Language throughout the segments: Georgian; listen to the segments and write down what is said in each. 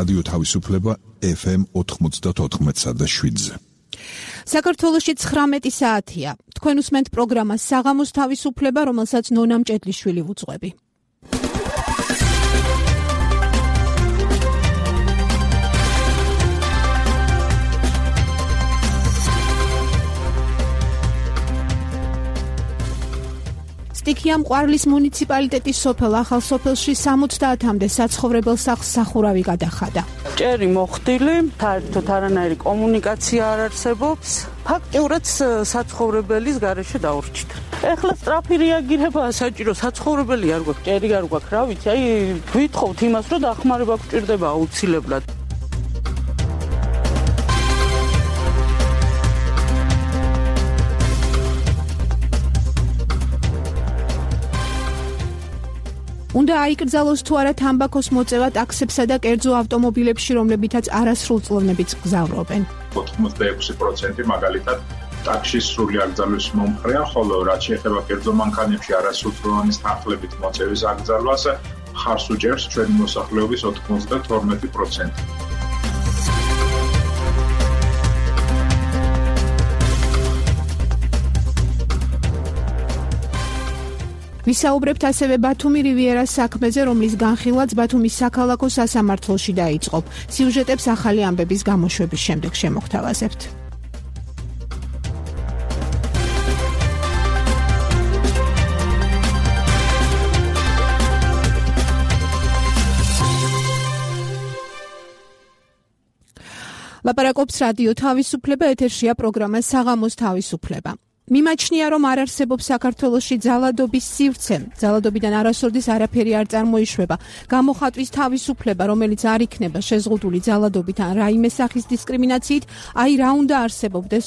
რადიო თავისუფლება FM 94.7-ზე. საქართველოში 19 საათია. თქვენ უსმენთ პროგრამას საღამოს თავისუფლება, რომელსაც ნონა მჭედლიშვილი ვუძღვები. სტიქია მყარლის მუნიციპალიტეტის სოფელ ახალ სოფელში 70-მდე საცხოვრებელ სახლს სახურავი გადახადა. ჭერი მოხდილი, საერთოდ არანაირი კომუნიკაცია არ არსებობს. ფაქტიურად საცხოვრებელის გარეშე დაურჩით. ეხლა სწრაფი რეაგირებაა საჭირო, საცხოვრებელი არ გვაქვს, ჭერი არ გვაქვს, რა ვიცი, აი გვითხოვთ იმას, რომ დახმარება გვჭირდება აუცილებლად. უნდა აიკრძალოს თუ არა თამბაქოს მოწევა ტაქსებსა და კერძო ავტომობილებში, რომლებითაც არასრულწლოვნებით გზავრობენ. 86% მაგალითად ტაქსის სრული აკრძალვის მომხრეა, ხოლო რაც შეეხება კერძო მანქანებში არასრულწლოვანის თანხლებით მოწევის აკრძალვას, ხარს უჭერს ჩვენი მოსახლეობის 92%. ვისაუბრებთ ასევე ბათუმი რივიერას საქმეზე, რომლის განხილვაც ბათუმის საქალაქო სასამართლოში დაიწყო. სიუჟეტებს ახალი ამბების გამოშვების შემდეგ შემოგთავაზებთ. ლაპარაკობს რადიო თავისუფლება, ეთერშია პროგრამა საღამოს თავისუფლება. მიმაჩნია, რომ არ არსებობს საქართველოში ძალადობის სივრცე. ძალადობიდან არასოდეს არაფერი არ წარმოიშვება. გამოხატვის თავისუფლება, რომელიც არ იქნება შეზღუდული ძალადობით ან რაიმე სახის დისკრიმინაციით, აი რა უნდა არსებობდეს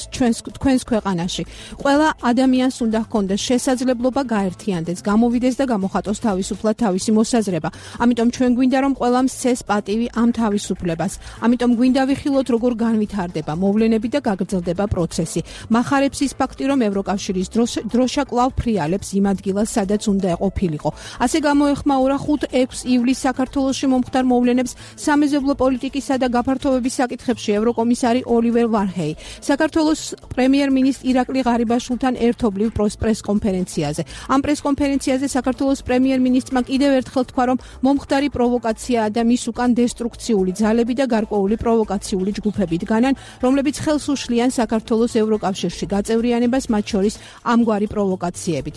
თქვენს ქვეყანაში. ყველა ადამიანს უნდა ჰქონდეს შესაძლებლობა გაერთიანდეს, გამოვიდეს და გამოხატოს თავისუფლად თავისი მოსაზრება. ამიტომ ჩვენ გვინდა, რომ ყველამ სცეს პატივი ამ თავისუფლებას. ამიტომ გვინდა ვიხილოთ, როგორ განვითარდება მოვლენები და გაგრძელდება პროცესი. მახარებს ის ფაქტი, რომ ევროკავშირის დროშა კვლავ ფრიალებს იმ ადგილას, სადაც უნდა ყოფილიყო. ასე გამოეხმაურა 5-6 ივლისს საქართველოში მომხდარ მოვლენებს სამეზობლო პოლიტიკისა და გაფართოების საკითხებში ევროკომისარი ოლივერ ვარჰეი. საქართველოს პრემიერ-მინისტრ ირაკლი ღარიბაშვილთან ერთობლივ პრესკონფერენციაზე. ამ პრესკონფერენციაზე საქართველოს პრემიერ-მინისტრმა კიდევ ერთხელ თქვა, რომ მომხდარი პროვოკაციაა და მის უკან დესტრუქციული ძალები და გარკვეული პროვოკაციული ჯგუფები დგანან, რომლებიც ხელს უშლიან საქართველოს ევროკავშირში გაწევრიანებას, მათ შორის ამგვარი პროვოკაციებით.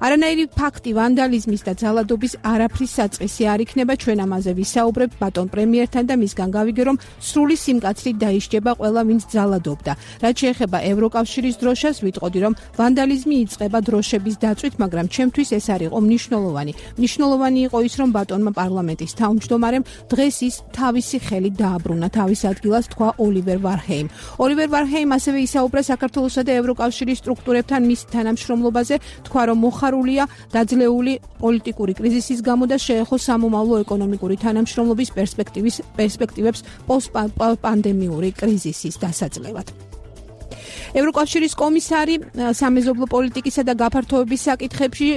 არანაირი ფაქტი ვანდალიზმის და ძალადობის არაფრის საწყისი არ იქნება, ჩვენ ამაზე ვისაუბრებთ ბატონ პრემიერთან და მისგან გავიგე, რომ სრული სიმკაცრით დაიშჯება ყველა, ვინც ძალადობდა. რაც შეეხება ევროკავშირის დროშას, ვიტყოდი, რომ ვანდალიზმი იწყება დროშების დაწვით, მაგრამ ჩემთვის ეს არ იყო მნიშვნელოვანი. მნიშვნელოვანი იყო ის, რომ ბატონმა პარლამენტის თავმჯდომარემ დღეს ის თავისი ხელით დააბრუნა თავის ადგილას, თქვა ოლივერ ვარჰეიმ. ოლივერ ვარჰეიმ ასევე ისაუბრა საქართველოსა და ევროკავშირის სტრუქტურებთან მის თანამშრომლობაზე, თქვა, რომ მოხარულია დაძლეული პოლიტიკური კრიზისის გამო და შეეხო სამომავლო ეკონომიკური თანამშრომლობის პერსპექტივებს პოსტპანდემიური კრიზისის დასაძლევად. ევროკავშირის კომისარი სამეზობლო პოლიტიკისა და გაფართოების საკითხებში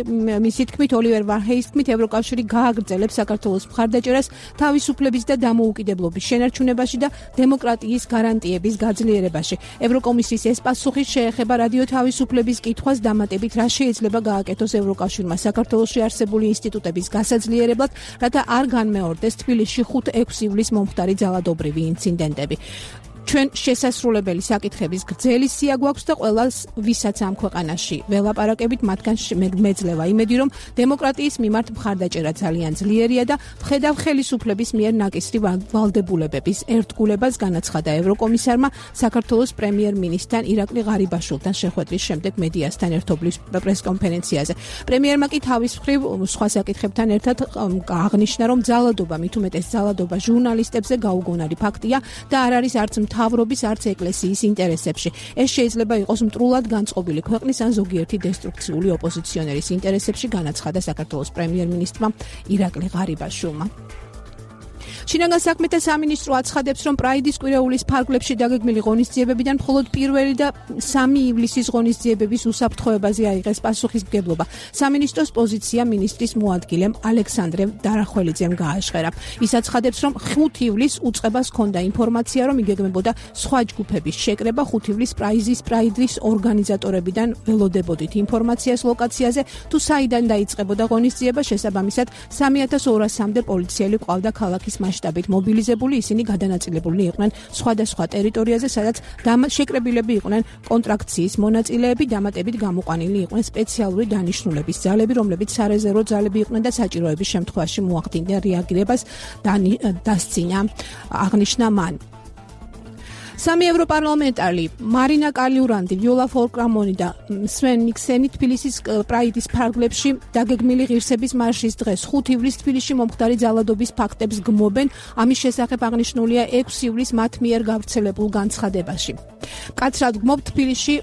მისი თქმით, ოლივერ ვარჰეის თქმით, ევროკავშირი გააგრძელებს საქართველოს მხარდაჭერას თავისუფლების და დამოუკიდებლობის შენარჩუნებაში და დემოკრატიის გარანტიების გაძლიერებაში. ევროკომისიის ეს პასუხი შეეხება რადიო თავისუფლების კითხვას დამატებით, რა შეიძლება გააკეთოს ევროკავშირმა საქართველოში არსებული ინსტიტუტების გასაძლიერებლად, რათა არ განმეორდეს თბილისში 5-6 ივლისს მომხდარი ძალადობრივი ინციდენტები. ჩვენ შესასრულებელი საკითხების გრძელი სია გვაქვს და ყველას, ვისაც ამ ქვეყანაში ველაპარაკებით, მათგან მეძლევა იმედი, რომ დემოკრატიის მიმართ მხარდაჭერა ძალიან ძლიერია და ვხედავ ხელისუფლების მიერ ნაკისრი ვალდებულებების ერთგულებას, განაცხადა ევროკომისარმა საქართველოს პრემიერ-მინისტრთან ირაკლი ღარიბაშვილთან შეხვედრის შემდეგ მედიასთან ერთობლის პრესკონფერენციაზე. პრემიერმა კი თავის მხრივ სხვა საკითხებთან ერთად აღნიშნა, რომ ძალადობა, მით უმეტეს ძალადობა ჟურნალისტებზე გაუგონარი ფაქტია და არ არის არც მთავრობის, არც ეკლესიის ინტერესებში. ეს შეიძლება იყოს მტრულად განწყობილი ქვეყნის ან ზოგიერთი დესტრუქციული ოპოზიციონერის ინტერესებში, განაცხადა საქართველოს პრემიერ-მინისტრმა ირაკლი ღარიბაშვილმა. შინაგან საქმეთა სამინისტრო აცხადებს, რომ პრაიდის კვირეულის ფარგლებში დაგეგმილი ღონისძიებებიდან მხოლოდ 1 და 3 ივლისის ღონისძიებების უსაფრთხოებაზე აიღეს პასუხისმგებლობა. სამინისტროს პოზიცია მინისტრის მოადგილემ ალექსანდრე დარახველიძემ გააჟღერა. ის აცხადებს, რომ 5 ივლისს უწყებას ჰქონდა ინფორმაცია, რომ იგეგმებოდა სხვა ჯგუფების შეკრება 5 ივლისს პრაიდის ორგანიზატორებიდან ველოდებოდით ინფორმაციას ლოკაციაზე, თუ საიდან დაიწყებოდა ღონისძიება, შესაბამისად 3200-მდე პოლიციელი ყავდა ქალაქის მასშტაბით მობილიზებული, ისინი გადანაწილებული იყვნენ სხვადასხვა ტერიტორიაზე, სადაც შეკრებილები იყვნენ კონტრაქციის მონაწილეები, დამატებით გამოყვანილი იყვნენ სპეციალური დანიშნულების ძალები, რომლებიც სარეზერვო ძალები იყვნენ და საჭიროების შემთხვევაში მოახდინდნენ რეაგირებას, დასცინა აღნიშნა მან. 3 ევროპარლამენტარი მარინა კალიურანდი, ვიოლა ფოლკრამონი და სვენ ნიქსენი თბილისის პრაიდის ფარგლებში დაგეგმილი ღირსების მარშის დღეს 5 ივლისს თბილისში მომხდარი ძალადობის ფაქტებს გმობენ. ამის შესახებ აღნიშნულია 6 ივლისს მათ მიერ გავრცელებულ განცხადებაში. მკაცრად გმობთ თბილისში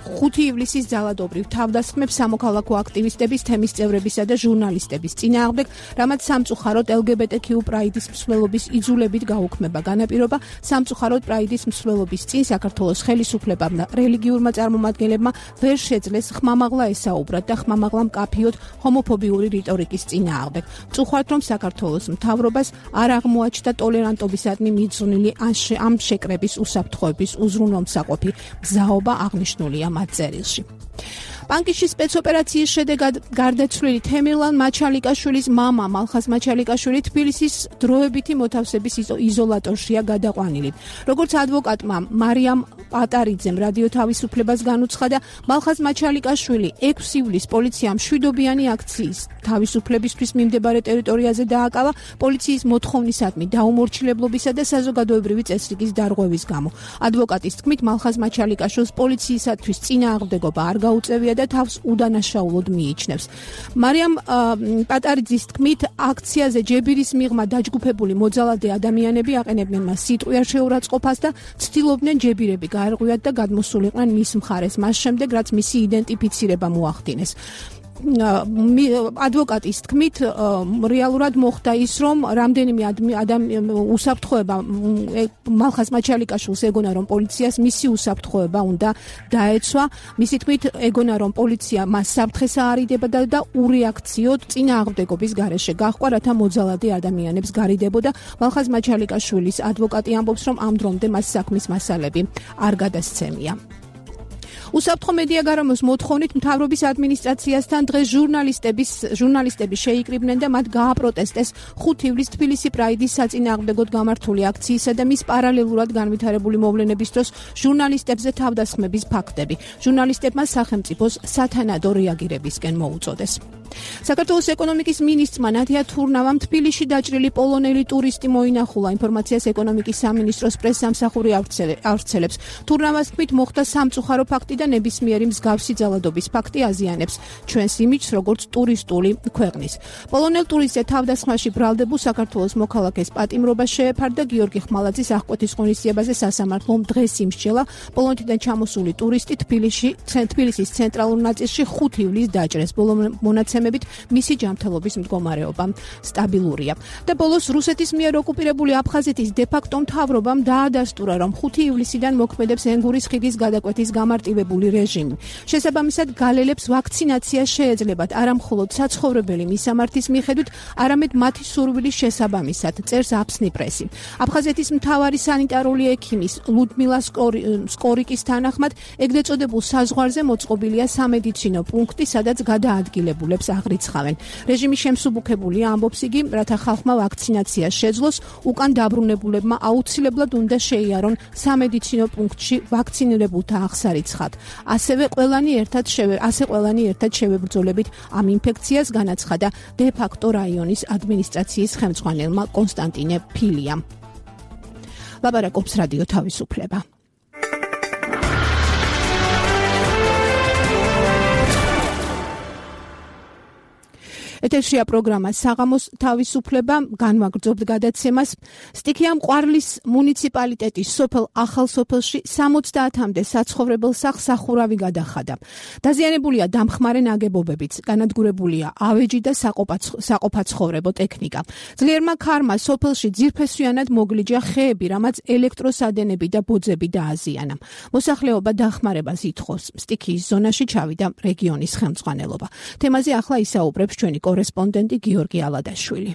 5 ივლისის ძალადობრივ თავდასხმებს სამოქალაქო აქტივისტების, თემის წევრებისა და ჟურნალისტების წინააღმდეგ, რამაც სამწუხაროდ LGBTQ პრაიდის მსვლელობის იძულებით გაუქმება განაპირობა. სამწუხაროდ პრაიდის მსვლელობის წინ საქართველოს ხელისუფლებამ და რელიგიურმა წარმომადგენლებმა ვერ შეძლეს ხმამაღლა ესაუბრათ და ხმამაღლა მკაფიოდ ჰომოფობიური რიტორიკის წინააღმდეგ. წუხართ, რომ საქართველოს მთავრობას არ აღმოაჩნდა ტოლერანტობისადმი მიძღვნილი ამ შეკრების უსაფრთხოების უზრუნველმსაყოფი გზაობა აღნიშნულია მათ წერილში. პანკისში სპეცოპერაციის შედეგად გარდაცვლილი თემირლან მაჩალიკაშვილის მამა მალხაზ მაჩალიკაშვილი თბილისის დროებითი მოთავსების იზოლატორშია გადაყვანილი. როგორც ადვოკატმა მარიამ პატარიძემ რადიო თავისუფლებას განუცხადა, მალხაზ მაჩალიკაშვილი 6 ივლისს პოლიციამ მშვიდობიანი აქციის თავისუფლებისთვის მიმდებარე ტერიტორიაზე დააკავა პოლიციის მოთხოვნისადმი დაუმორჩილებლობისა და საზოგადოებრივი წესრიგის დარღვევის გამო. ადვოკატის თქმით, მალხაზ მაჩალიკაშვილს პოლიციისათვის წინააღმდეგობა არ გაუწევია და თავს უდანაშაულოდ მიიჩნევს. მარიამ პატარიძის თქმით, აქციაზე ჯებირის მიღმა დაჯგუფებული მოძალადე ადამიანები აყენებდნენ მას სიტყვიერ შეურაცხყოფას და ცდილობდნენ ჯებირები გაერღვიათ და გადმოსულიყვნენ მის მხარეს, მას შემდეგ, რაც მისი იდენტიფიცირება მოახდინეს. ადვოკატის თქმით, რეალურად მოხდა ის, რომ რამდენიმე უსაფრთხოება მალხაზ მაჩალიკაშვილს ეგონა, რომ პოლიციას მისი უსაფრთხოება უნდა დაეცვა. მისი თქმით, ეგონა, რომ პოლიცია მას საფრთხეს აარიდებდა და ურეაქციოდ წინააღმდეგობის გარეშე გაჰყვა, რათა მოძალადე ადამიანებს გარიდებოდა. მალხაზ მაჩალიკაშვილის ადვოკატი ამბობს, რომ ამ დრომდე მას საქმის მასალები არ გადასცემია. უსაფრთხო მედია გარემოს მოთხოვნით მთავრობის ადმინისტრაციასთან დღეს ჟურნალისტები შეიკრიბნენ და მათ გააპროტესტეს 5 ივლისს თბილისი პრაიდის საწინააღმდეგოდ გამართული აქციისა და მის პარალელურად განვითარებული მოვლენების დროს ჟურნალისტებზე თავდასხმების ფაქტები. ჟურნალისტებმა სახელმწიფოს სათანადო რეაგირებისკენ მოუწოდეს. საქართველოს ეკონომიკის მინისტრმა ნათია თურნავამ თბილისში დაჭრილი პოლონელი ტურისტი მოინახულა. ინფორმაციას ეკონომიკის სამინისტროს პრესსამსახური ავრცელებს. თურნავას თქმით, მოხდა სამწუხარო ფაქტი და ნებისმიერი მსგავსი ძალადობის ფაქტი აზიანებს ჩვენს იმიჯს როგორც ტურისტული ქვეყნის. პოლონელ ტურისტზე თავდასხმაში ბრალდებულ საქართველოს მოქალაქეს პატიმრობა შეეფარდა. გიორგი ხმალაძის აღკვეთის ღონისძიებაზე სასამართლომ დღეს იმსჯელა. პოლონეთიდან ჩამოსული ტურისტი თბილისის ცენტრალურ ნაწილში 5 ივლისს დაჭრეს. ბოლო მონაცემებით მისი ჯანმრთელობის მდგომარეობა სტაბილურია. და ბოლოს რუსეთის მიერ ოკუპირებული აფხაზეთის დე-ფაქტო მთავრობამ დაადასტურა, რომ 5 ივლისიდან მოქმედებს ენგურის ხიდის გადაკვეთის გამარტივებული რეჟიმი. შესაბამისად, გალელებს ვაქცინაცია შეეძლებათ არა მხოლოდ საცხოვრებელი მისამართის მიხედვით, არამედ მათი სურვილის შესაბამისად, წერს აფსნი პრესი. აფხაზეთის მთავარი სანიტარული ექიმის ლუდმილა სკორიკის თანახმად, ეგრეთ წოდებულ საზღვარზე მოწყობილია სამედიცინო პუნქტი, სადაც გადაადგილებულებს აღრიცხავენ. რეჟიმი შემსუბუქებულია, ამბობს იგი, რათა ხალხმა ვაქცინაცია შეძლოს, უკან დაბრუნებულებმა აუცილებლად უნდა შეიარონ სამედიცინო პუნქტში ვაქცინირებულთა აღსარიცხად. ასევე ყველანი ერთად შევებრძოლებით ამ ინფექციას, განაცხადა დე-ფაქტო რაიონის ადმინისტრაციის ხელმძღვანელმა კონსტანტინე ფილიამ. ლაპარაკობს რადიო თავისუფლება. ეთერშია პროგრამა საღამოს თავისუფლება, განვაგრძობთ გადაცემას. სტიქიამ ყვარლის მუნიციპალიტეტის სოფელ ახალსოფელში 70-მდე საცხოვრებელ სახლს სახურავი გადახადა. დაზიანებულია დამხმარე ნაგებობებიც, განადგურებულია ავეჯი და საყოფაცხოვრებო ტექნიკა. ძლიერმა ქარმა სოფელში ძირფესვიანად მოგლიჯა ხეები, რამაც ელექტროსადენები და ბოძები დააზიანა. მოსახლეობა დახმარებას ითხოვს. სტიქიის ზონაში ჩავიდა რეგიონის ხელმძღვანელობა. თემაზე ახლა ისაუბრებს ჩვენი კორესპონდენტი გიორგი ალადაშვილი.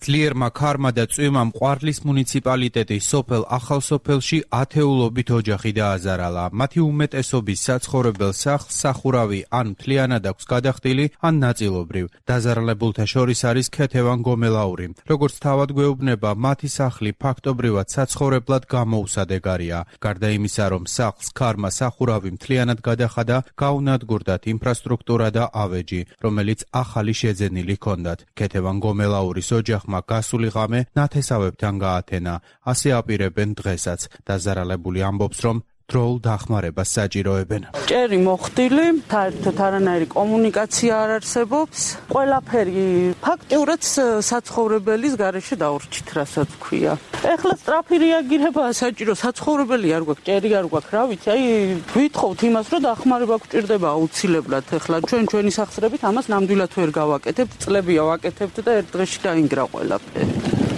ძლიერმა ქარმა და წვიმამ ყვარლის მუნიციპალიტეტის სოფელ ახალსოფელში ათეულობით ოჯახი დააზარალა. მათი უმეტესობის საცხოვრებელ სახლს სახურავი ან მთლიანად აქვს გადახდილი, ან ნაწილობრივ. დაზარალებულთა შორის არის ქეთევან გომელაური. როგორც თავად გვეუბნება, მათი სახლი ფაქტობრივად საცხოვრებლად გამოუსადეგარია. გარდა იმისა, რომ სახლს ქარმა სახურავი მთლიანად გადახადა, გაუნადგურდათ ინფრასტრუქტურა და ავეჯი, რომელიც ახალი შეძენილი ჰქონდათ. ქეთევან გომელაურის ოჯახმა გასული ღამე ნათესავებთან გაათენა. ასე აპირებენ დღესაც. დაზარალებული ამბობს, რომ დროულ დახმარებას საჭიროებენ. ჭერი მოხდილი, საერთოდ არანაირი კომუნიკაცია არ არსებობს. ყველაფერი ფაქტიურად საცხოვრებელის გარეშე დაურჩით, რასაც ქვია. ეხლა სწრაფი რეაგირებაა საჭირო, საცხოვრებელი არ გვაქვს, ჭერი არ გვაქვს, რა ვიცი, აი ვითხოვთ იმას, რომ დახმარება გვჭირდება აუცილებლად. ეხლა ჩვენი სახსრებით ამას ნამდვილად ვერ გავაკეთებთ, წლებია ვაკეთებთ და ერთ დღეში დაინგრა ყველაფერი.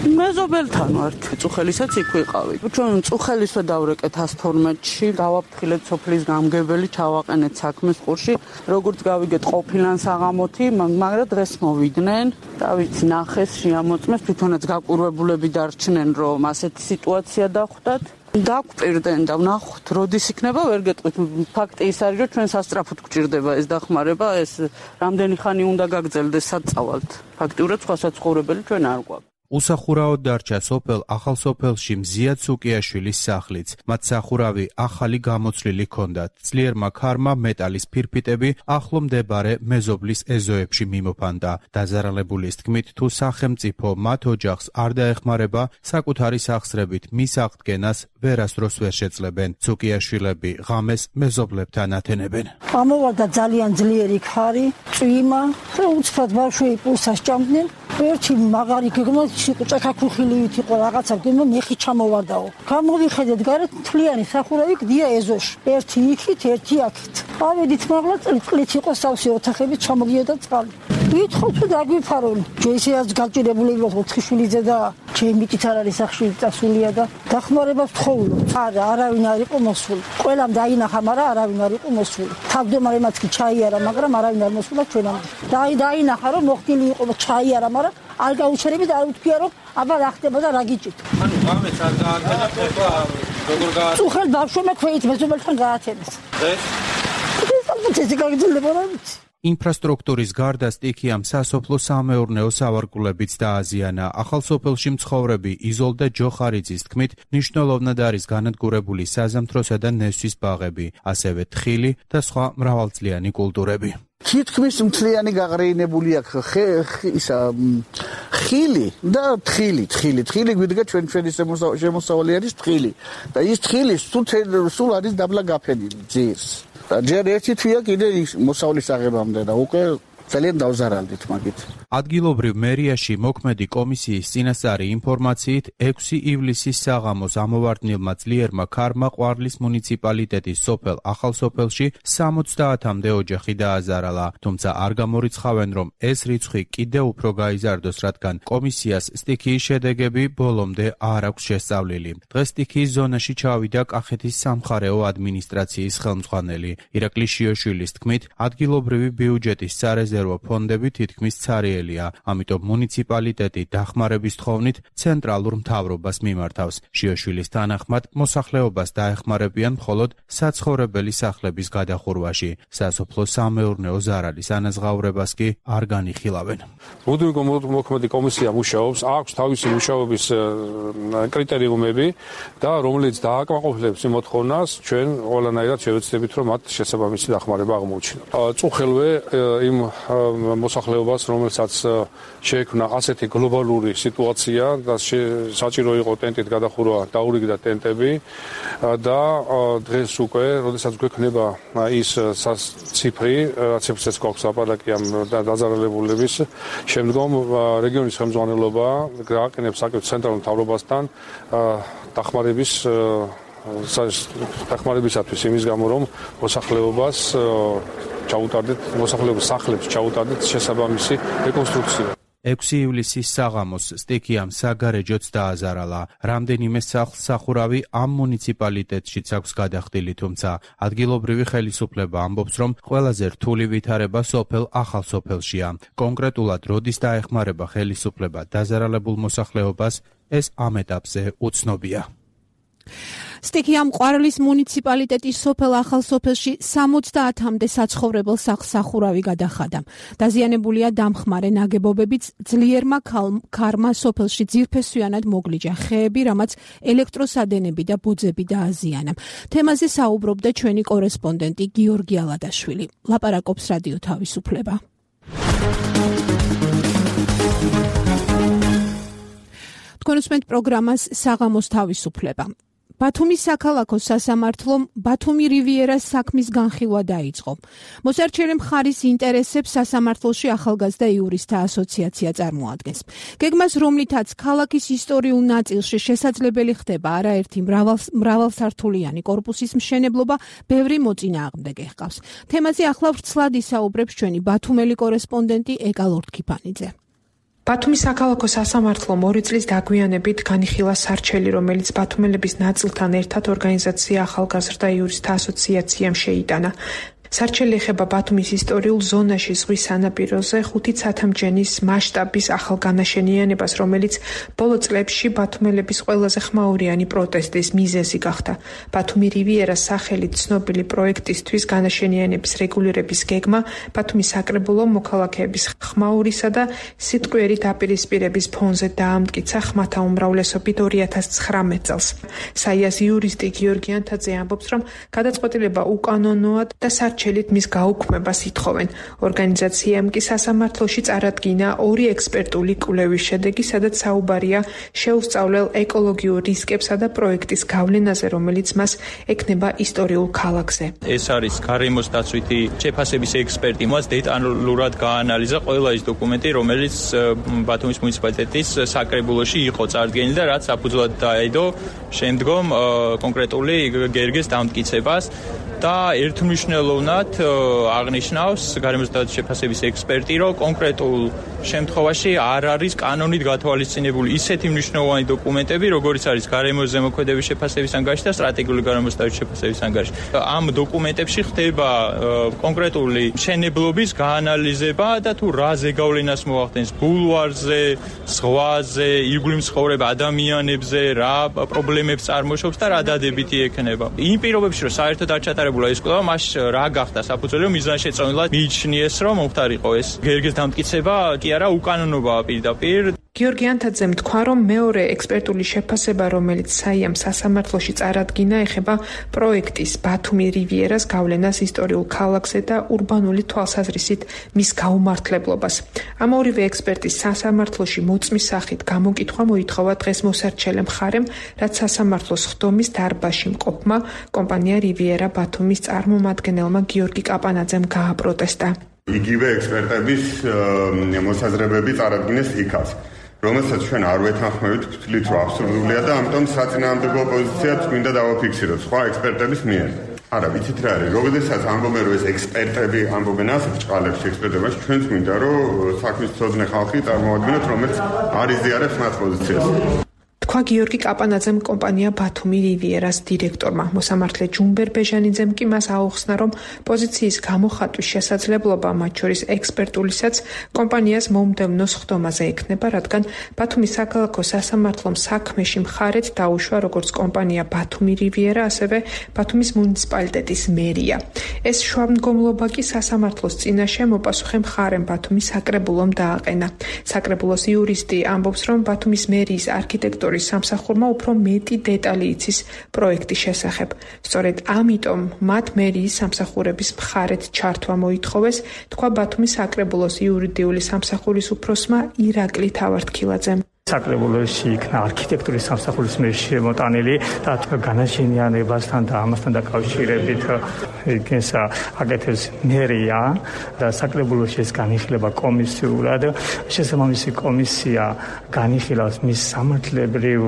მეზობელთან ვართ, წუხელისაც იქ ვიყავი. ჩვენ წუხელისვე დავრეკეთ 112-ში, გავაფრთხილეთ სოფლის გამგებელი, ჩავაყენეთ საქმეს ყურში. როგორც გავიგეთ ყოფილან საღამოთი, მაგრამ დღეს მოვიდნენ. რა ვიცი, ნახეს, შეამოწმეს, თვითონაც გაკვირვებულები დარჩნენ, რომ ასეთი სიტუაცია დახვდათ. დაგვპირდნენ და ვნახოთ, როდის იქნება, ვერ გეტყვით. ფაქტი ის არის, რომ ჩვენ სასწრაფოდ გვჭირდება ეს დახმარება, ეს რამდენი ხანი უნდა გაგრძელდეს, სად წავალთ. ფაქტიურად სხვა საცხოვრებელი ჩვენ არ გვაქვს. უსახურავად დარჩა სოფელ ახალსოფელში მზიად სუკიაშვილის სახლიც. მათ სახურავი ახალი გამოცვლილი ჰქონდათ. ძლიერმა ქარმა მეტალის ფირფიტები ახლო მდებარე მეზობლის ეზოებში მიმოფანდა. დაზარალებულის თქმით, თუ სახელმწიფო მათ ოჯახს არ დაეხმარება, საკუთარი სახსრებით მის აღდგენას ვერასდროს ვერ შეძლებენ. სუკიაშვილები ღამეს მეზობლებთან ათენებენ. ამოვარდა ძალიან ძლიერი ქარი, წვიმა, უცბად ბავშვი პულსას ჭამდნენ. ერთი მაგარი გეგმა ჭაქაქუხილივით იყო რაღაცა გეგმა მეხი ჩამოვარდაო. გამოვიხედეთ გარეთ მთლიანი სახურავი გდია ეზოში. ერთი იქით, ერთი აქეთ. ავედით მაღლა წყლით იყო სავსე ოთახები ჩამოგიოდა წყალი. ვითხოვთ რომ დაგვიფარონ. ჯეისეაც გაჭირებული ვიყოთ 4 შვილიძე და ჩემი მიტით არ არის სახში წასულია და დახმარებას ვთხოვულობ. არა, არავინ არ იყო მოსული. ყველამ დაინახა, მაგრამ არავინ არ იყო მოსული. თავმჯდომარემაც კი ჩაიარა, მაგრამ არავინ არ მოსულა ჩვენამდე. დაინახა რომ მოხდილი იყო ჩაიარა, მაგრამ არ გაუჩერებით, არ უთქვია რომ აბა რა ხდება და რა გიჭირთ. ანუ ღამეს არ გაათენა ხება, როგორ გაათენა? წუხელ ბავშვებმა ქვეით მეზობელთან გაათენეს. ეს გაგრძელდება რა ვიცი. ინფრასტრუქტურის გარდა სტიქიამ სასოფლო სამეურნეო სავარგულებიც დააზიანა. ახალსოფელში მცხოვრები იზოლდა ჯოხარიძის თქმით, მნიშვნელოვნად არის განადგურებული საზამთროსა და ნესვის ბაღები, ასევე თხილი და სხვა მრავალწლიანი კულტურები. თითქმის მთლიანი გაღრეინებული აქვს ხილი და თხილი გვიდგა ჩვენი შემოსავალი არის თხილი და ის თხილი სულ არის დაბლა გაფენილი ძირს. ჯერ ერთი თვია კიდე მოსავლის აღებამდე და უკვე ძალიან დავზარალდით მაგით. ადგილობრივ მერიაში მოქმედი კომისიის წინასწარი ინფორმაციით 6 ივლისის საღამოს ამოვარდნილმა ძლიერმა ქარმა ყვარლის მუნიციპალიტეტის სოფელ ახალსოფელში 70-მდე ოჯახი დააზარალა, თუმცა არ გამორიცხავენ, რომ ეს რიცხვი კიდევ უფრო გაიზარდოს, რადგან კომისიას სტიქიის შედეგები ბოლომდე არ აქვს შესწავლილი. დღეს სტიქიის ზონაში ჩავიდა კახეთის სამხარეო ადმინისტრაციის ხელმძღვანელი. ირაკლი შიოშვილის თქმით, ადგილობრივი ბიუჯეტის სარეზერვო ფონდები თითქმის ცარიელია, ამიტომ მუნიციპალიტეტი დახმარების თხოვნით ცენტრალურ მთავრობას მიმართავს. შიოშვილის თანახმად, მოსახლეობას დაეხმარებიან მხოლოდ საცხოვრებელი სახლების გადახურვაში. სასოფლო სამეურნეო ზარალის ანაზღაურებას კი არ განიხილავენ. მოქმედი კომისია მუშაობს, აქვს თავისი მუშაობის კრიტერიუმები და რომელიც დააკმაყოფილებს იმ მოთხოვნას, ჩვენ ყველანაირად შევეცდებით, რომ მათ შესაბამისი დახმარება აღმოუჩინოთ. წუხელვე იმ მოსახლეობას, რომელსაც რაც შეექმნა ასეთი გლობალური სიტუაცია და საჭირო იყო ტენტით გადახურვა, დაურიგდა ტენტები და დღეს უკვე, როდესაც გვექნება ის ციფრი, ციფრსაც გვაქვს ლაპარაკი ამ დაძარალებულების, შემდგომ რეგიონის ხელმძღვანელობა გააყენებს საკუთარ ცენტრალურ მთავრობასთან დახმარებისათვის იმის გამო, რომ მოსახლეობას ჩაუტარდეთ, მოსახლეობის სახლებს ჩაუტარდეთ შესაბამისი რეკონსტრუქცია. 6 ივლისის საღამოს სტიქიამ საგარეჯოც დააზარალა. რამდენიმე სახლს სახურავი ამ მუნიციპალიტეტშიც აქვს გადახდილი, თუმცა ადგილობრივი ხელისუფლება ამბობს, რომ ყველაზე რთული ვითარება სოფელ ახალსოფელშია. კონკრეტულად როდის დაეხმარება ხელისუფლება დაზარალებულ მოსახლეობას, ეს ამ ეტაპზე უცნობია. სტიქიამ ყვარლის მუნიციპალიტეტის სოფელ ახალსოფელში 70-მდე საცხოვრებელ სახლს სახურავი გადახადა. დაზიანებულია დამხმარე ნაგებობებიც, ძლიერმა ქარმა სოფელში ძირფესვიანად მოგლიჯა ხეები, რამაც ელექტროსადენები და ბოძები დააზიანა. თემაზე საუბრობდა ჩვენი კორესპონდენტი გიორგი ალადაშვილი. ლაპარაკობს რადიო თავისუფლება. თქვენ უსმენთ პროგრამას საღამოს თავისუფლება. ბათუმის საქალაქო სასამართლომ ბათუმი რივიერას საქმის განხილვა დაიწყო. მოსარჩელი მხარის ინტერესებს სასამართლოში ახალგაზრდა იურისტთა ასოციაცია წარმოადგენს. გეგმას, რომლითაც ქალაქის ისტორიულ ნაწილში შესაძლებელი ხდება არაერთი მრავალსართულიანი კორპუსის მშენებლობა, ბევრი მოწინააღმდეგე ჰყავს. თემაზე ახლა ვრცლად ისაუბრებს ჩვენი ბათუმელი კორესპონდენტი ეკა ლორთქიფანიძე. ბათუმის საქალაქო სასამართლომ 2 წლის დაგვიანებით განიხილა სარჩელი, რომელიც ბათუმელების ნაწილთან ერთად ორგანიზაცია ახალგაზრდა იურისტთა ასოციაციამ შეიტანა. სარჩელი ეხება ბათუმის ისტორიულ ზონაში ზღვის სანაპიროზე 5 ცათამჯენის მასშტაბის ახალ განაშენიანებას, რომელიც ბოლო წლებში ბათუმელების ყველაზე ხმაურიანი პროტესტის მიზეზი გახდა. ბათუმი რივიერას სახელით ცნობილი პროექტისთვის განაშენიანების რეგულირების გეგმა ბათუმის საკრებულო მოქალაქეების ხმაურისა და სიტყვიერი დაპირისპირების ფონზე დაამტკიცა ხმათა უმრავლესობით 2019 წელს. საიას იურისტი გიორგი ანთაძე ამბობს, რომ გადაწყვეტილება უკანონოა და სარჩელით მის გაუქმებას ითხოვენ. ორგანიზაციამ კი სასამართლოში წარადგინა 2 ექსპერტული კვლევის შედეგი, სადაც საუბარია შეუსწავლელ ეკოლოგიურ რისკებსა და პროექტის გავლენაზე, რომელიც მას ექნება ისტორიულ ქალაქზე. ეს არის გარემოს დაცვითი შეფასების ექსპერტი, მას დეტალურად გაანალიზა ყველა ის დოკუმენტი, რომელიც ბათუმის მუნიციპალიტეტის საკრებულოში იყო წარდგენილი და რაც საფუძვლად დაედო შემდგომ კონკრეტული გერგეს დამტკიცებას. და ერთმნიშვნელოვნად აღნიშნავს გარემოს დაცვის შეფასების ექსპერტი, რომ კონკრეტულ შემთხვევაში არ არის კანონით გათვალისწინებული ისეთი მნიშვნელოვანი დოკუმენტები, როგორიც არის გარემოს ზემოქმედების შეფასების ანგარიში და სტრატეგიული გარემოს დაცვის შეფასების ანგარიში. ამ დოკუმენტებში ხდება კონკრეტული მშენებლობის გაანალიზება და თუ რა ზეგავლენას მოახდენს ბულვარზე, ზღვაზე, ირგვლივ მცხოვრებ ადამიანებზე, რა პრობლემებს წარმოშობს და რა დადებითი ექნება. იმ პირობებში, რომ საერთოდ არ ჩატარებულა ეს კვლევა, მას რა გახდა საფუძველი, რომ მიზანშეწონილად მიიჩნიეს, რომ მომხდარ იყო ეს გერგეს დამტკიცება, კი არა უკანონობაა პირდაპირ. გიორგი ანთაძემ თქვა, რომ მეორე ექსპერტული შეფასება, რომელიც საიამ სასამართლოში წარადგინა, ეხება პროექტის ბათუმი რივიერას გავლენას ისტორიულ ქალაქზე და ურბანული თვალსაზრისით მის გაუმართლებლობას. ამ ორივე ექსპერტის სასამართლოში მოწმის სახით გამოკითხვა მოითხოვა დღეს მოსარჩელე მხარემ, რაც სასამართლოს ხდომის დარბაზში მყოფმა კომპანია რივიერა ბათუმის წარმომადგენელმა გიორგი კაპანაძემ გააპროტესტა. იგივე ექსპერტების მოსაზრებები წარადგინეს იქაც, რომელსაც ჩვენ არ ვეთანხმებით, ვთვლით, რომ აბსურდულია და ამიტომ საწინააღმდეგო პოზიციაც მინდა დავაფიქსიროთ სხვა ექსპერტების მიერ. არა, ვიცით რა არის, როდესაც ამბობენ, რომ ეს ექსპერტები ამბობენ ასეთ ჭყალებში ექსპერტებაში, ჩვენც მინდა, რომ საქმის მცოდნე ხალხი წარმოვადგინოთ, რომელიც არ იზიარებს მათ პოზიციას. თქვა გიორგი კაპანაძემ კომპანია ბათუმი რივიერას დირექტორმა. მოსამართლე ჯუმბერ ბეჟანიძემ კი მას აუხსნა, რომ პოზიციის გამოხატვის შესაძლებლობა, მათ შორის ექსპერტულისაც, კომპანიას მომდევნო ხდომაზე ექნება, რადგან ბათუმის საქალაქო სასამართლომ საქმეში მხარეთ დაუშვა როგორც კომპანია ბათუმი რივიერა, ასევე ბათუმის მუნიციპალიტეტის მერია. ეს შუამდგომლობა კი სასამართლოს წინაშე მოპასუხე მხარემ ბათუმის საკრებულომ დააყენა. საკრებულოს იურისტი ამბობს, რომ ბათუმის მერიის არქიტექტორის არქიტექტურის სამსახურმა უფრო მეტი დეტალი იცის პროექტის შესახებ. სწორედ ამიტომ მათ მერიის სამსახურების მხარეთ ჩართვა მოითხოვეს, თქვა ბათუმის საკრებულოს იურიდიული სამსახურის უფროსმა ირაკლი თავართქილაძემ. საკრებულოში იქნა არქიტექტურის სამსახურის მიერ შემოტანილი და განაშენიანებასთან და ამასთან დაკავშირებით იქნეს აკეთებს მერია და საკრებულოში ეს განიხილება კომისიურად. შესაბამისი კომისია განიხილავს მის სამართლებრივ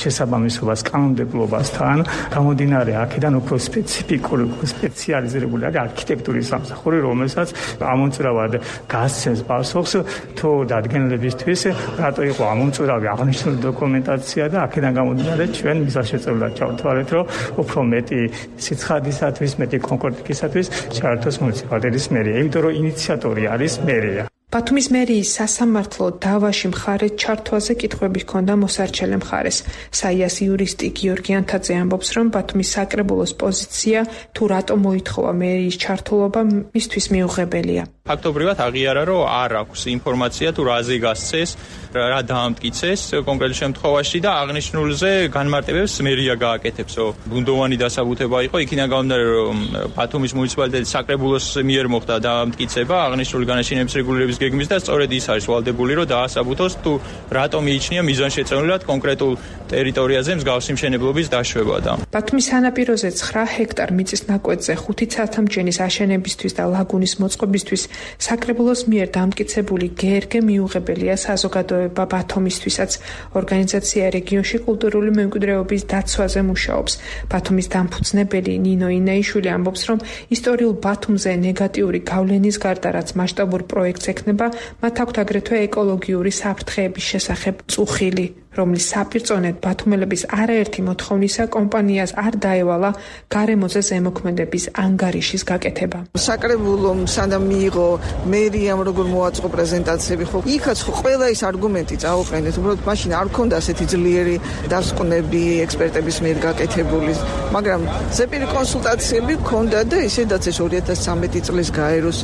შესაბამისობას კანონმდებლობასთან. გამომდინარე აქედან უფრო სპეციფიკური სპეციალიზირებული არის არქიტექტურის სამსახური, რომელსაც ამომწურავად გასცემს პასუხს თუ დადგენილებისთვის რატო იყო ამომწურავი აღნიშნული დოკუმენტაცია და აქედან გამომდინარე ჩვენ მისაშეწებლად ჩავთვალეთ, რომ უფრო მეტი სიცხადისათვის, მეტი კონკრეტიკისათვის ჩაერთოს მუნიციპალიტეტის მერია, იმიტომ რომ ინიციატორი არის მერია. ბათუმის მერიის სასამართლო დავაში მხარეთ ჩართვაზე კითხვები ჰქონდა მოსარჩელე მხარეს. საიას იურისტი გიორგი ანთაძე ამბობს, რომ ბათუმის საკრებულოს პოზიცია თუ რატო მოითხოვა მერიის ჩართულობა მისთვის მიუღებელია. ფაქტობრივად აღიარა, რომ არ აქვს ინფორმაცია თუ რაზე გასცეს, რა დაამტკიცეს კონკრეტულ შემთხვევაში და აღნიშნულზე განმარტებებს მერია გააკეთებს. ბუნდოვანი დასაბუთება იყო, იქიდან გამომდინარე, რომ ბათუმის მუნიციპალიტეტის საკრებულოს მიერ მოხდა დაამტკიცება აღნიშნული განაშენების რეგულირების გეგმის და სწორედ ის არის ვალდებული, რომ დაასაბუთოს თუ რატომ მიიჩნია მიზანშეწონილად კონკრეტულ ტერიტორიაზე მსგავსი მშენებლობის დაშვება. ბათუმის სანაპიროზე 9 ჰექტარ მიწის ნაკვეთზე 5 ცათამბჯენის აშენებისთვის და ლაგუნის მოწყობისთვის საკრებულოს მიერ დამტკიცებული გერგე მიუღებელია საზოგადოება ბათუმისთვისაც. ორგანიზაცია რეგიონში კულტურული მემკვიდრეობის დაცვაზე მუშაობს. ბათუმის დამფუძნებელი ნინო ინაიშვილი ამბობს, რომ ისტორიულ ბათუმზე ნეგატიური გავლენის გარდა, რაც მასშტაბურ პროექტს ექნება, მათ აქვთ აგრეთვე ეკოლოგიური საფრთხეების შესახებ წუხილი, რომლის საპირწონედ ბათუმელების არაერთი მოთხოვნისა კომპანიას არ დაევალა გარემოზე ზემოქმედების ანგარიშის გაკეთება. საკრებულომ სანამ მიიღო მერიამ როგორ მოაწყო პრეზენტაციები, ხო იქაც ყველა ის არგუმენტი წაუყენეთ, უბრალოდ მაშინ არ ქონდა ასეთი ძლიერი დასკვნები ექსპერტების მიერ გაკეთებული, მაგრამ ზეპირი კონსულტაციები ქონდა და ისედაც ეს 2013 წლის გაეროს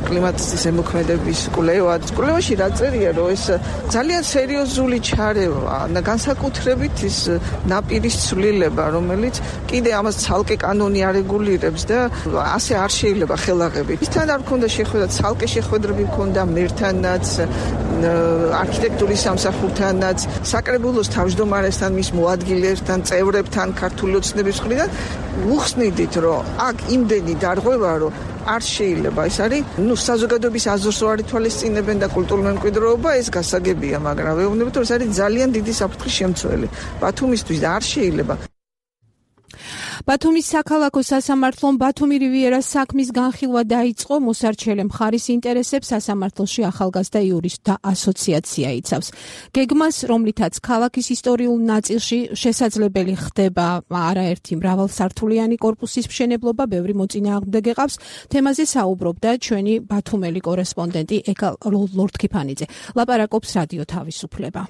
კლიმატის ზემოქმედების კვლევაში რა წერია, რომ ეს ძალიან სერიოზული ჩარევა განსაკუთრებით ის ნაპირის ცვლილება, რომელიც კიდე ამას ცალკე კანონი არეგულირებს და ასე არ შეიძლება ხელაღებით. ისთან არ ქონდა შეხვედრა, ცალკე შეხვედრები ქონდა მერთანაც, არქიტექტურის სამსახურთანაც, საკრებულოს თავმჯდომარესთან, მის მოადგილეებთან, წევრებთან, ქართული ოცნების მხრიდან უხსნიდით, რომ აქ იმდენი დარღვევა, რომ არ შეიძლება. ეს არის, საზოგადოების აზრს არ ითვალისწინებენ და კულტურული მემკვიდრეობა ეს გასაგებია, მაგრამ ვეუბნებით, რომ ეს არის ძალიან დიდი საფრთხის შემცველი. ბათუმისთვის და არ შეიძლება. ბათუმის საქალაქო სასამართლომ ბათუმი რივიერას საქმის განხილვა დაიწყო. მოსარჩელე მხარის ინტერესებს სასამართლოში ახალგაზრდა იურისტთა ასოციაცია იცავს. გეგმას, რომლითაც ქალაქის ისტორიულ ნაწილში შესაძლებელი ხდება არაერთი მრავალსართულიანი კორპუსის მშენებლობა, ბევრი მოწინააღმდეგე ყავს. თემაზე საუბრობდა ჩვენი ბათუმელი კორესპონდენტი ეკა ლორთქიფანიძე. ლაპარაკობს რადიო თავისუფლება.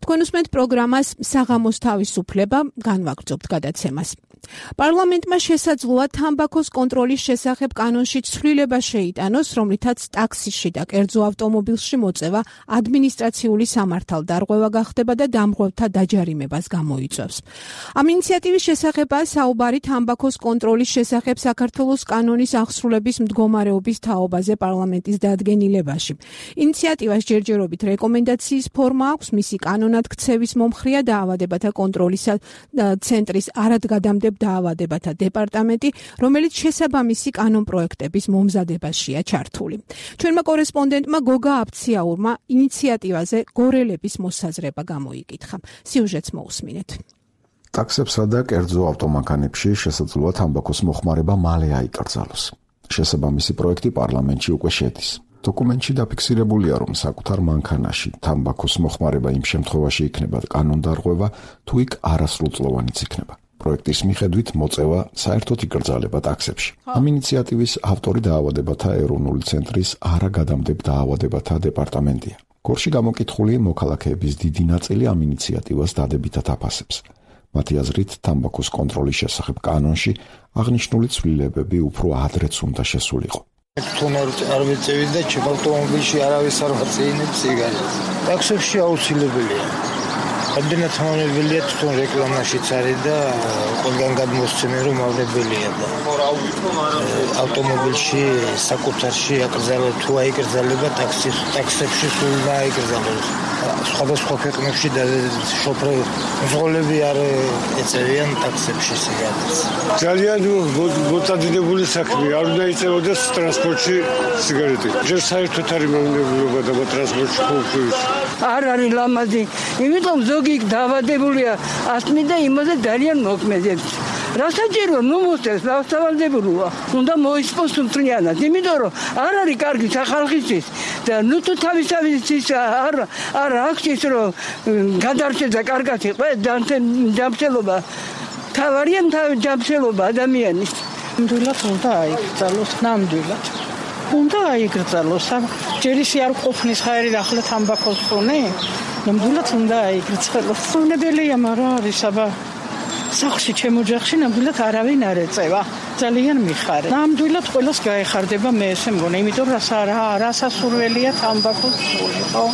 თქვენ უსმენთ პროგრამას საღამოს თავისუფლება, განვაგრძობთ გადაცემას. პარლამენტმა შესაძლოა თამბაქოს კონტროლის შესახებ კანონში ცვლილება შეიტანოს, რომლითაც ტაქსიში და კერძო ავტომობილში მოწევა ადმინისტრაციული სამართალდარღვევა გახდება და დამღვრევთა დაჯარიმებას გამოიწვევს. ამ ინიციატივის შესახებაა საუბარი თამბაქოს კონტროლის შესახებ საქართველოს კანონის აღსრულების მდგომარეობის თაობაზე პარლამენტის დადგენილებაში. ინიციატივას ჯერჯერობით რეკომენდაციის ფორმა აქვს, მისი კანონად ქცევის მომხრეა დაავადებათა კონტროლის ცენტრის არადგადამდე დაავადებათა დეპარტამენტი, რომელიც შესაბამისი კანონპროექტების მომზადებაშია ჩართული. ჩვენმა კორესპონდენტმა გოგა აფციაურმა ინიციატივაზე გორელების მოსაზრება გამოიკითხა. სიუჟეტს მოусმინეთ. ტაქსებსა და კერძო ავტომანქანებში შესაძლოა თამბაქოს მოხმარება მალე აიკრძალოს. შესაბამისი პროექტი პარლამენტში უკვე შედის. დოკუმენტში დაფიქსირებულია, რომ საკუთარ მანქანაში თამბაქოს მოხმარება იმ შემთხვევაში იქნება კანონდარღვევა, თუ იქ არასრულწლოვანიც იქნება. პროექტის მიხედვით მოწევა საერთოდ იკრძალება ტაქსებში. ამ ინიციატივის ავტორი დაავადებათა ეროვნული ცენტრის არაგადამდებ დაავადებათა დეპარტამენტია. გორში გამოკითხული მოქალაქეების დიდი ნაწილი ამ ინიციატივას დადებითად აფასებს. მათი აზრით, თამბაქოს კონტროლის შესახებ კანონში აღნიშნული ცვლილებები უფრო ადრეც უნდა შესულიყო. თუნ არ მეწევი და ავტომობილში არავის არ ვაწეინებ სიგარეტს. ტაქსებში აუცილებელია. ამდენად მავნებელია თვითონ რეკლამაშიც არის და ყველგან გადმოსცემენ რომ მავნებელია და ავტომობილში საკუთარში აკრძალოს თუ აიკრძალება ტაქსებში სულ დააიკრძალოს. სხვადასხვა ქვეყნებში და შოფერები არ ეწევიან ტაქსებში სიგარეტს. ძალიან მოწადებული საქმეა, არ უნდა ეწევოდეს ტრანსპორტში სიგარეტი. ჯერ საერთოდ არის მავნებელობა და ტრანსპორტში ყოველთვის. არ არის ლამაზი, იმიტომ ზოგი დაავადებულია ასთმით და იმაზე ძალიან მოქმედებს. რასაჭირო ნუ მოსწევს დავსავალდებულოა. უნდა მოისპოს მთლიანად, იმიტომ რომ არ არის კარგი სახალხისთვის და ნუ თუ თავისთავის არ აქვს ის რომ გადარჩეს და კარგად იყოს ჯანმრთელობა. თავარია ჯანმრთელობა ადამიანის. ნამდვილად უნდა აიკრძალოს, ნამდვილად. უნდა აიკრძალოს. ჯერ ისე არ ყოფნის ხაერი ახლა თამბაქოს ხონე. ნამდვილად უნდა აიკრძალოს. უნებელია, მაგრამ არის აბა სახლში ჩემო ოჯახში ნამდვილად არავინ არ ეწევა. ძალიან მიხარე. ნამდვილად ყველას გაეხარდება მე ესე მგონი, იმიტომ რასასურველია თამბაქოს ხონე, ხო?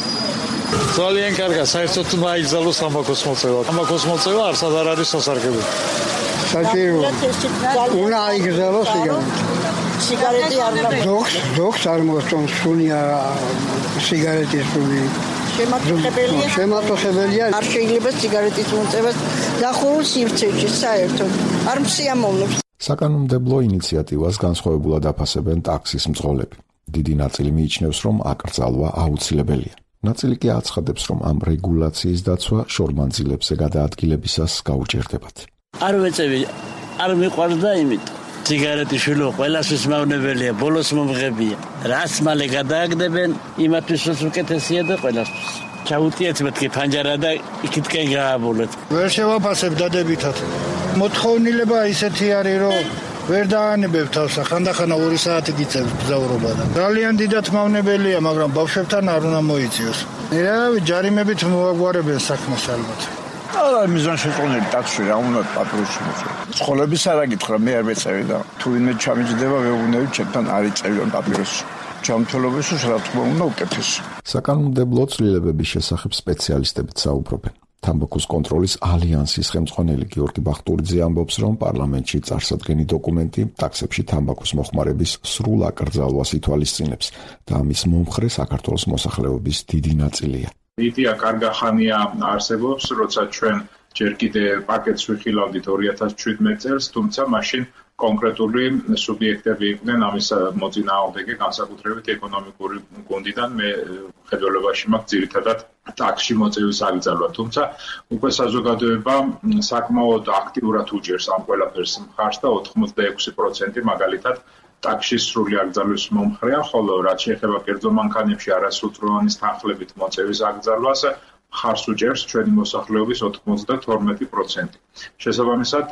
ძალიან კარგია, საერთოდ უნდა აიკრძალოს თამბაქოს მოწევა. თამბაქოს მოწევა არსად არ არის სასარგებლო. საჭირო უნდა აიკრძალოს სიგარეტი არ უნდა. ზოგს არ მოსწონს სუნია სიგარეტის სუნი. შემატოხებელია. არ შეიძლება სიგარეტის მოწევას დახურულ სივრცეში საერთოდ. არ მსიამოვნებს. საკანონმდებლო ინიციატივას განსხვავებულად აფასებენ ტაქსის მძღოლები. დიდი ნაწილი მიიჩნევს, რომ აკრძალვა აუცილებელია. ნაწილი კი აცხადებს, რომ ამ რეგულაციის დაცვა შორმანძილებზე გადაადგილებისას გაუჭირდებათ. არ ვეწევი, არ მიყვარდა იმით. სიგარეტი შვილო ყველასთვის მავნებელია, ბოლოს მომღებია. რას მალე გადააგდებენ, იმათთვის უკეთესია და ყველასთვის. ჩაუტიეთ მეთქი ფანჯარა და იქითკენ გააბოლოთ. ვერ შევაფასებ დადებითად. მოთხოვნილება ისეთი არის, რომ ვერ დაანებებ თავს, ხანდახან 2 საათი გიწევს გზავრობა და ძალიან დიდად მავნებელია, მაგრამ ბავშვებთან არ უნდა მოიწიოს. ჯარიმებით მოაგვარებენ საქმეს ალბათ. არა მიზან შეწყონილი ტაქსში რა უნდა პატრონში მოწევი. სკოლების არ აკითხა, მე არ მეწევი და თუ ვინმე ჩამიჯდება, ვეუბნები ჩემთან არ იწევიან პატრონში. ჯანმრთელობის რა თქმა უნდა უკეთესი. საკანონმდებლო ცვლილებების შესახებ სპეციალისტებიც საუბრობენ. თამბაქოს კონტროლის ალიანსის ხელმძღვანელი გიორგი ბახტურიძე ამბობს, რომ პარლამენტში წარსადგენი დოკუმენტი ტაქსებში თამბაქოს მოხმარების სრულ აკრძალვას ითვალისწინებს და ამის მომხრე საქართველოს მოსახლეობის დიდი ნაწილია. იდეა კარგახანია არსებობს, როცა ჩვენ ჯერ კიდე პაკეტს ვიხილავდით 2017 წელს, თუმცა მაშინ კონკრეტული სუბიექტები იყვნენ ამის მოწინააღმდეგე, განსაკუთრებით ეკონომიკური გუნდიდან. მე ხედველობაში მაქვს ძირითადად ტაქსში მოწევის აკრძალვა, თუმცა უკვე საზოგადოება საკმაოდ აქტიურად უჭერს ამ ყველაფერს მხარს და 86% მაგალითად ტაქსის სრული აკრძალვის მომხრეა, ხოლო რაც შეეხება კერძო მანქანებში არასრულწლოვანის თანხლებით მოწევის აკრძალვას მხარს უჭერს ჩვენი მოსახლეობის 92%. შესაბამისად,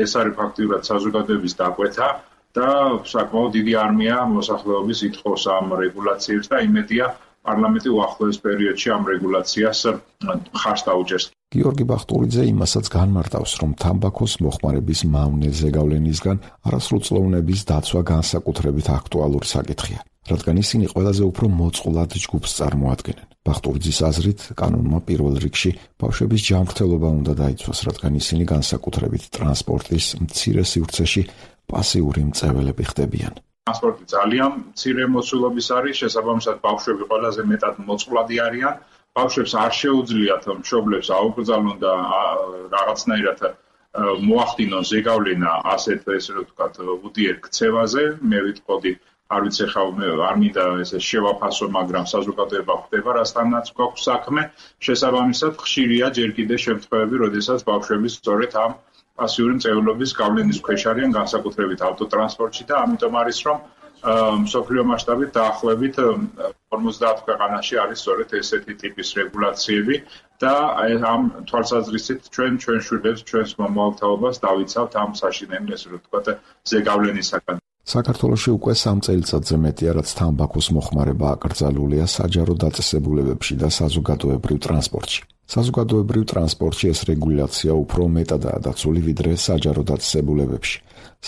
ეს არის ფაქტიურად საზოგადოების დაკვეთა და საკმაოდ დიდი არმია მოსახლეობის ითხოვს ამ რეგულაციებს და იმედია პარლამენტი უახლოეს პერიოდში ამ რეგულაციას მხარს დაუჭერს. გიორგი ბახტურიძე იმასაც განმარტავს, რომ თამბაქოს მოხმარების მავნე ზეგავლენისგან არასრულწლოვნების დაცვა განსაკუთრებით აქტუალური საკითხია, რადგან ისინი ყველაზე უფრო მოწყვლად ჯგუფს წარმოადგენენ. ბახტურიძის აზრით, კანონმა პირველ რიგში ბავშვების ჯანმრთელობა უნდა დაიცვას, რადგან ისინი განსაკუთრებით ტრანსპორტის მცირე სივრცეში პასიური მწეველები ხდებიან. ტრანსპორტი ძალიან მცირე მოცულობის არის, შესაბამისად ბავშვები ყველაზე მეტად მოწყვლადი არიან. ბავშვებს არ შეუძლიათ მშობლებს აუკრძალონ და რაღაცნაირად მოახდინონ ზეგავლენა ასეთ ესე რომ ვთქვათ უდიერ ქცევაზე. მე ვიტყოდი, არ ვიცი ხა არ მინდა ესე შევაფასო, მაგრამ საზოგადოება ხვდება რასთანაც გვაქვს საქმე. შესაბამისად ხშირია ჯერ კიდევ შემთხვევები, როდესაც ბავშვები სწორედ ამ პასიური მწევლობის გავლენის ქვეშ არიან, განსაკუთრებით ავტოტრანსპორტში და ამიტომ არის რომ მსოფლიო მასშტაბით დაახლოებით 50 ქვეყანაში არის სწორედ ესეთი ტიპის რეგულაციები და ამ თვალსაზრისით ჩვენ შვილებს, ჩვენს მომავალ თაობას დავიცავთ ამ საშინელი ესე რომ ვთქვათ ზეგავლენისაგან. საქართველოში უკვე 3 წელიწადზე მეტია, რაც თამბაქოს მოხმარება აკრძალულია საჯარო დაწესებულებებში და საზოგადოებრივ ტრანსპორტში. საზოგადოებრივ ტრანსპორტში ეს რეგულაცია უფრო მეტადაა დაცული ვიდრე საჯარო დაწესებულებებში,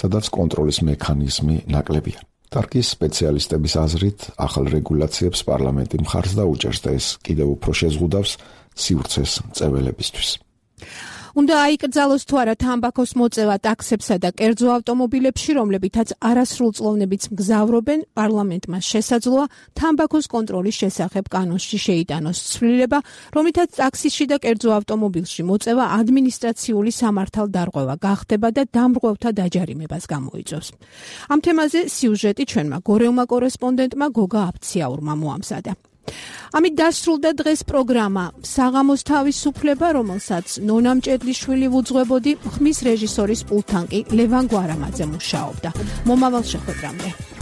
სადაც კონტროლის მექანიზმი ნაკლებია. ტარკის სპეციალისტების აზრით, ახალ რეგულაციებს პარლამენტი მხარს დაუჭერს და ეს კიდევ უფრო შეზღუდავს სივრცეს მწეველებისთვის. უნდა აიკრძალოს თუ არა თამბაქოს მოწევა ტაქსებსა და კერძო ავტომობილებში, რომლებითაც არასრულწლოვნებიც მგზავრობენ, პარლამენტმა შესაძლოა თამბაქოს კონტროლის შესახებ კანონში შეიტანოს ცვლილება, რომლითაც ტაქსიში და კერძო ავტომობილში მოწევა ადმინისტრაციული სამართალდარღვევა გახდება და დამრღვევთა დაჯარიმებას გამოიწვევს. ამ თემაზე სიუჟეტი ჩვენმა გორევმა კორესპონდენტმა გოგა აფციაურმა მოამზადა. ამით დასრულდა დღეს პროგრამა საღამოს თავისუფლება, რომელსაც ნონა მჭედლიშვილი ვუძღვებოდი, ხმის რეჟისორის პულტთან კი ლევან გვარამაძე მუშაობდა. მომავალ შეხვედრამდე.